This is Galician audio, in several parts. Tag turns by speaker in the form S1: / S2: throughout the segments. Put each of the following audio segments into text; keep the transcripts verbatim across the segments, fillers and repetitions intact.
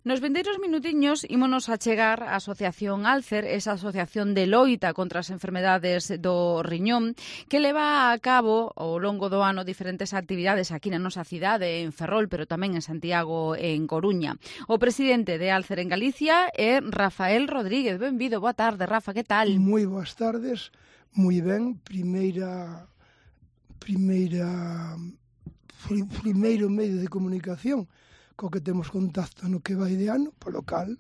S1: Nos vindeiros minutiños ímonos a chegar á Asociación Alcer, esa asociación de loita contra as enfermedades do riñón, que leva a cabo ao longo do ano diferentes actividades aquí na nosa cidade, en Ferrol, pero tamén en Santiago e en Coruña. O presidente de Alcer en Galicia é Rafael Rodríguez. Benvido, boa tarde, Rafa, que tal?
S2: Moi boas tardes, moi ben, primeira primeira primeiro medio de comunicación co que temos contacto no que vai de ano, polo cal,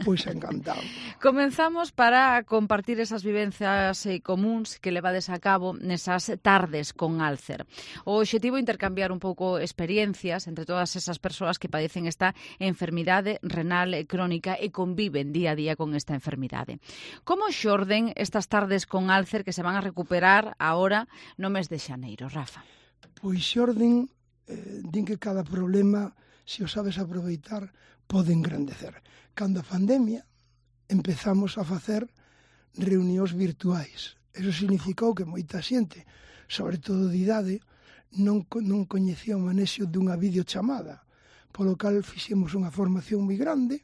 S2: pois encantado.
S1: Comenzamos para compartir esas vivencias eh, comuns que levades a cabo nesas tardes con Alcer. O obxectivo é intercambiar un pouco experiencias entre todas esas persoas que padecen esta enfermidade renal crónica e conviven día a día con esta enfermidade. Como xorden estas tardes con Alcer que se van a recuperar agora no mes de xaneiro, Rafa?
S2: Pois xorden, eh, din que cada problema, se o sabes aproveitar, pode engrandecer. Cando a pandemia empezamos a facer reunións virtuais. Eso significou que moita xente, sobre todo de idade, non, non coñecía o manexo dunha videochamada, polo cal fixemos unha formación moi grande.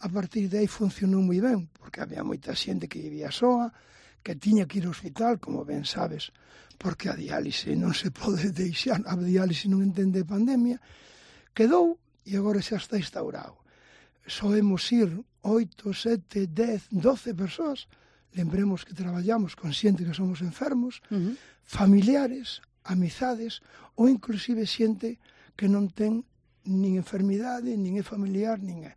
S2: A partir de aí funcionou moi ben, porque había moita xente que vivía soa, que tiña que ir ao hospital, como ben sabes, porque a diálise non se pode deixar, a diálise non entende pandemia. Quedou e agora xa está instaurado. Soemos ir oito, sete, dez, doce persoas. Lembremos que traballamos con xente que somos enfermos, uh-huh. familiares, amizades, ou inclusive xente que non ten nin enfermidade, nin é familiar, nin é.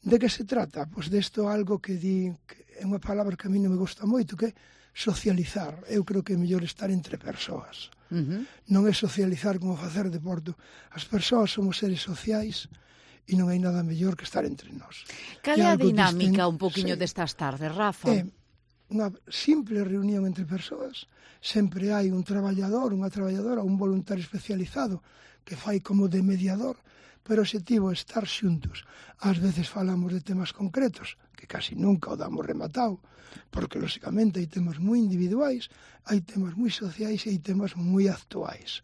S2: De que se trata? Pois desto algo que di, que é unha palabra que a mí non me gusta moito, que é socializar. Eu creo que é mellor estar entre persoas. Uh-huh. Non é socializar como facer deporte. As persoas somos seres sociais e non hai nada mellor que estar entre nós.
S1: Cal é a dinámica un poquinho sí. destas tardes, Rafa?
S2: É unha simple reunión entre persoas. Sempre hai un traballador, unha traballadora, un voluntario especializado que fai como de mediador, pero o objetivo é estar xuntos. Ás veces falamos de temas concretos, que casi nunca o damos rematado, porque, lóxicamente, hai temas moi individuais, hai temas moi sociais e hai temas moi actuais.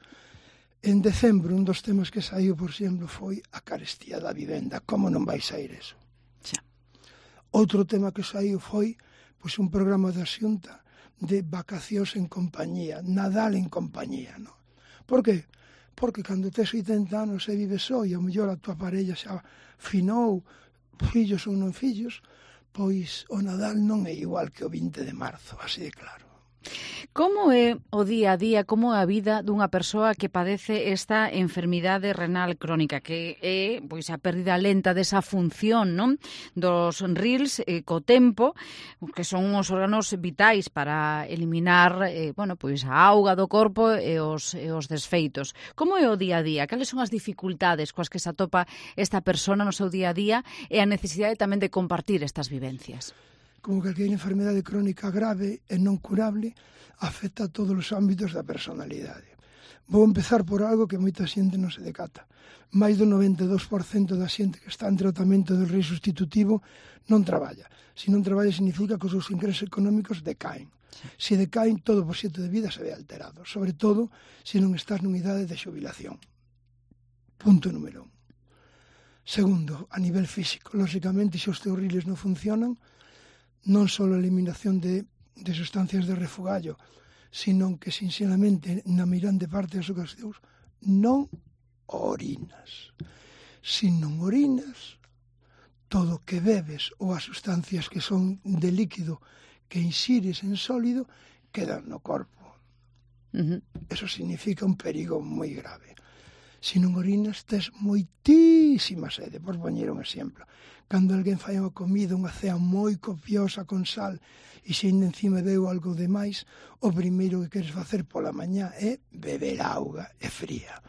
S2: En decembro, un dos temas que saiu, por exemplo, foi a carestía da vivenda. Como non vai sair eso?
S1: Xa.
S2: Outro tema que saiu foi pois, un programa da Xunta de vacacións en compañía, Nadal en compañía. No? Por que? Porque cando tes oitenta anos e vives só e ao mellor a tua parella xa finou, fillos ou non fillos, pois o Nadal non é igual que o vinte de marzo, así de claro.
S1: Como é o día a día, como é a vida dunha persoa que padece esta enfermidade renal crónica, que é pois a pérdida lenta desa función, non? Dos rils eh, co tempo, que son os órganos vitais para eliminar eh, bueno, pois a auga do corpo e os, e os desfeitos. Como é o día a día? Cales son as dificultades coas que se atopa esta persona no seu día a día e a necesidade tamén de compartir estas vivencias?
S2: Como calquera enfermedade crónica grave e non curable, afecta a todos os ámbitos da personalidade. Vou empezar por algo que moita xente non se decata. Mais do noventa e dous por cento da xente que está en tratamento do rei sustitutivo non traballa. Se non traballa significa que os seus ingresos económicos decaen. Se decaen, todo o proxecto de vida se ve alterado, sobre todo se non estás nunha idade de xubilación. Punto número un. Segundo, a nivel físico, lóxicamente, se os teus riles non funcionan, non só a eliminación de, de sustancias de refugallo, sino que, sinceramente, na mirante parte das ocasións, non orinas. Se non orinas, todo o que bebes ou as sustancias que son de líquido que insires en sólido quedan no corpo. Uh-huh. Eso significa un perigo moi grave. Se non orinas, tes moitísima sede, por poñer un exemplo. Cando alguén fai unha comida, unha cea moi copiosa con sal, e se ainda encima veu algo de máis, o primeiro que queres facer pola mañá é beber auga e fría.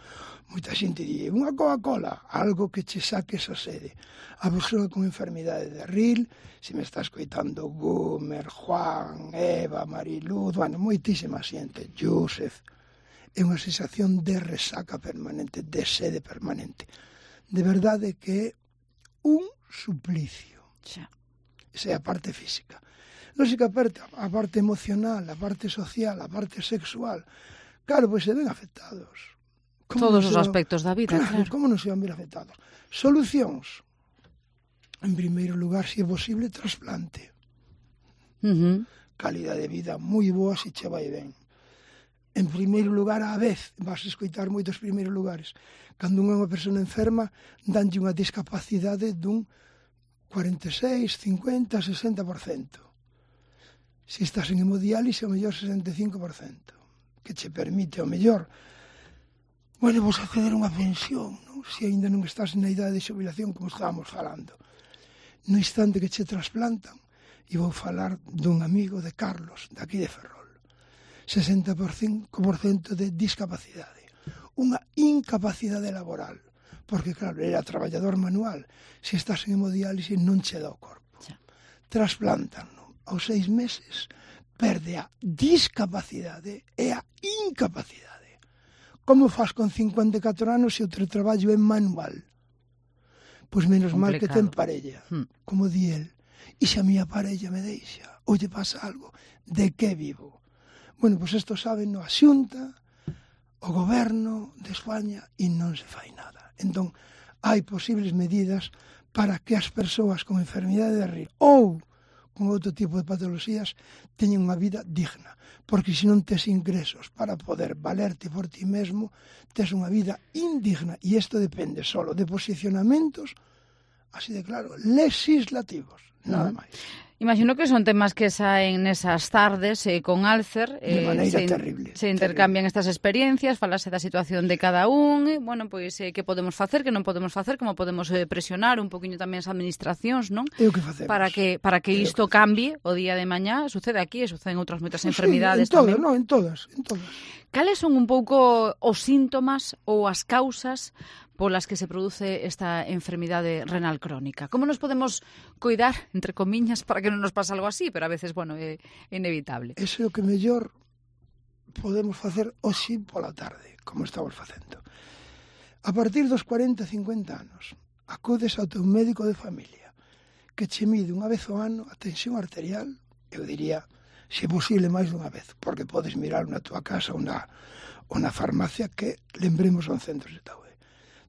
S2: Moita xente di, unha Coca-Cola, algo que che saque esa sede. A persoa con enfermidade de Ril, se me está escoitando Gumer, Juan, Eva, Mariluz, bueno, moitísima xente, Joseph, é unha sensación de resaca permanente, de sede permanente. De verdade que é un suplicio.
S1: Xa.
S2: Esa é a parte física. Lógica parte, a parte emocional, a parte social, a parte sexual. Claro, pois se ven afectados.
S1: Todos os aspectos da vida, claro.
S2: Como non se van ver afectados? Solucións. En primeiro lugar, se é posible, trasplante.
S1: Uh-huh.
S2: Calidade de vida moi boa se che vai ben. En primeiro lugar, á vez, vas a escoitar moitos primeiros lugares. Cando unha persona enferma, danlle unha discapacidade dun cuarenta e seis, cincuenta, sesenta por cento. Se estás en hemodiálise, ao mellor sesenta e cinco por cento, que che permite, ao mellor, bueno, vos acceder a unha pensión, non? Se ainda non estás na idade de xubilación, como estábamos falando. No instante que che trasplantan, e vou falar dun amigo de Carlos, daqui de Ferrol, sesenta por cinco por cento de discapacidade, unha incapacidade laboral, porque claro, era traballador manual, se estás en hemodiálise non che dá o corpo. Sí. Trasplantan, non? Aos seis meses perde a discapacidade e a incapacidade. Como faz con cincuenta e catro anos se o teu traballo é manual? Pois menos mal que ten parella, hmm. como di el. E se a miña parella me deixa, ou lle pasa algo, de que vivo? Bueno, pois isto saben a Xunta, o Goberno de España, e non se fai nada. Entón, hai posibles medidas para que as persoas con enfermidade de Rir ou con outro tipo de patoloxías teñen unha vida digna. Porque se non tes ingresos para poder valerte por ti mesmo, tes unha vida indigna. E isto depende solo de posicionamentos, así de claro, legislativos, nada máis.
S1: Imagino que son temas que saen nesas tardes eh, con Alcer.
S2: Eh, de maneira
S1: se,
S2: terrible.
S1: Se intercambian terrible. Estas experiencias, falase da situación de cada un, e, bueno, pois, eh, que podemos facer, que non podemos facer, como podemos eh, presionar un poquinho tamén as administracións, non?
S2: É o que facemos.
S1: Para que, para que isto cambie o día de mañá, sucede aquí e sucede en outras moitas
S2: sí,
S1: enfermidades
S2: sí, en todas,
S1: tamén.
S2: No, en todas, en todas.
S1: Cales son un pouco os síntomas ou as causas polas que se produce esta enfermidade renal crónica? Como nos podemos cuidar, entre comiñas, para que non nos pase algo así? Pero a veces, bueno, é inevitable.
S2: Ese é o que mellor podemos facer hoxe pola tarde, como estamos facendo. A partir dos cuarenta, cincuenta anos, acudes ao teu médico de familia, que che mide unha vez ao ano a tensión arterial, eu diría, se posible máis dunha vez, porque podes mirar na túa casa ou na, ou na farmacia, que lembremos son centros de saúde.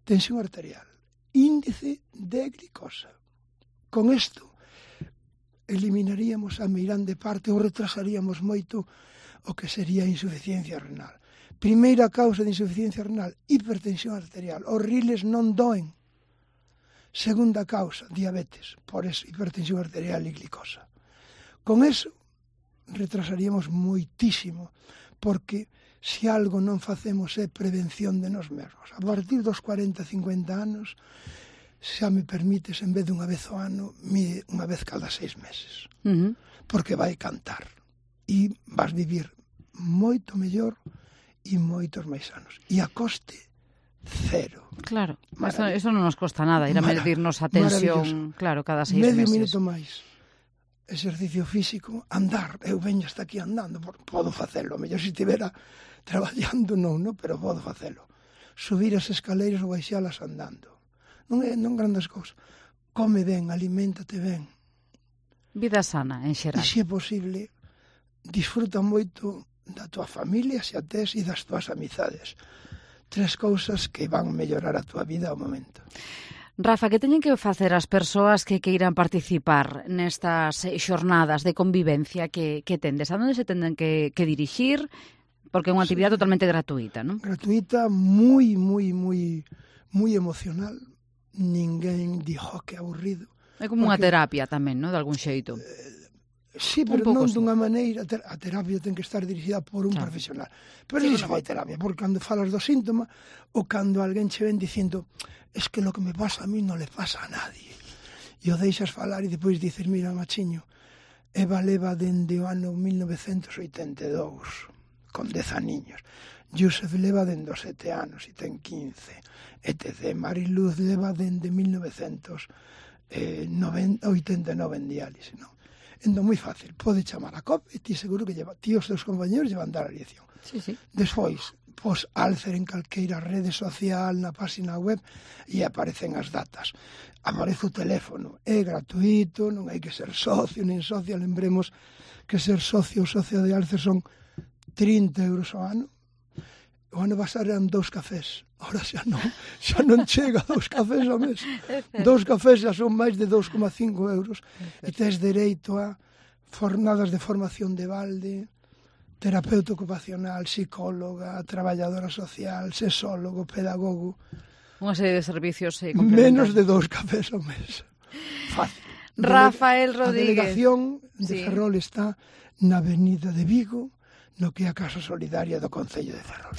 S2: Tensión arterial, índice de glicosa. Con isto eliminaríamos a meirande parte ou retrasaríamos moito o que sería a insuficiencia renal. Primeira causa de insuficiencia renal, hipertensión arterial. Os riles non doen. Segunda causa, diabetes, por eso hipertensión arterial e glicosa. Con eso retrasaríamos moitísimo, porque se algo non facemos é prevención de nós mesmos. A partir dos cuarenta, cincuenta anos, xa me permites, en vez de unha vez ao ano, mide unha vez cada seis meses. Uh-huh. Porque vai cantar. E vas vivir moito mellor e moitos máis anos. E a coste, cero.
S1: Claro, eso, eso non nos costa nada, ir a medirnos a tensión, claro, cada seis
S2: Medio
S1: meses.
S2: Medio minuto máis. Exercicio físico, andar. Eu veño hasta aquí andando, podo facelo. Mellor se estivera traballando non, no? Pero podo facelo. Subir as escaleiras ou baixalas andando. Non é non grandes cousas. Come ben, aliméntate ben.
S1: Vida sana, en xeral.
S2: E se é posible, disfruta moito da tua familia, se a tes, e das tuas amizades. Tres cousas que van mellorar a tua vida ao momento.
S1: Rafa, que teñen que facer as persoas que queiran participar nestas xornadas de convivencia que, que tendes? A onde se tenden que, que dirixir? Porque é unha actividade sí. totalmente gratuita, non?
S2: Gratuita, moi, moi, moi, moi emocional. Ninguén dixo que aburrido.
S1: É como unha terapia tamén, non? De algún xeito.
S2: Eh, sí, pero non sí. dunha maneira. A terapia ten que estar dirigida por un claro. profesional. Pero sí, non se fai terapia, porque cando falas do síntoma ou cando alguén che ven dicindo es que lo que me pasa a mí non le pasa a nadie. E o deixas falar e depois dices, mira, machiño, Eva leva dende o ano mil novecentos oitenta e dous, con dez aniños. Joseph leva dende os sete anos e ten quince, etcétera. Mariluz leva dende mil novecentos oitenta e nove en diálise, non? Entón, moi fácil, pode chamar a C O P e ti seguro que lleva, ti os teus compañeros llevan dar a dirección.
S1: Sí, sí.
S2: Despois, pos Alcer en calqueira rede social, na página web, e aparecen as datas. Aparece o teléfono, é gratuito, non hai que ser socio, nin socia, lembremos que ser socio ou socia de Alcer son trinta euros ao ano. O ano pasado eran dous cafés Ahora xa non, xa non chega a dous cafés ao mes. Dous cafés xa son máis de dous coma cinco euros e tes dereito a jornadas de formación de balde, terapeuta ocupacional, psicóloga, traballadora social, sexólogo, pedagogo.
S1: Unha serie de servicios eh, complementarios.
S2: Menos de dous cafés ao mes. Fácil.
S1: Rafael Rodríguez.
S2: A delegación de
S1: sí.
S2: Ferrol está na avenida de Vigo, no que é a Casa Solidaria do Concello de Ferrol.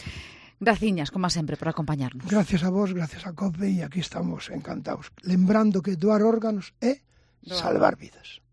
S1: Graciñas, como sempre, por acompañarnos.
S2: Gracias a vos, gracias a COPE, e aquí estamos encantados. Lembrando que doar órganos é salvar vidas.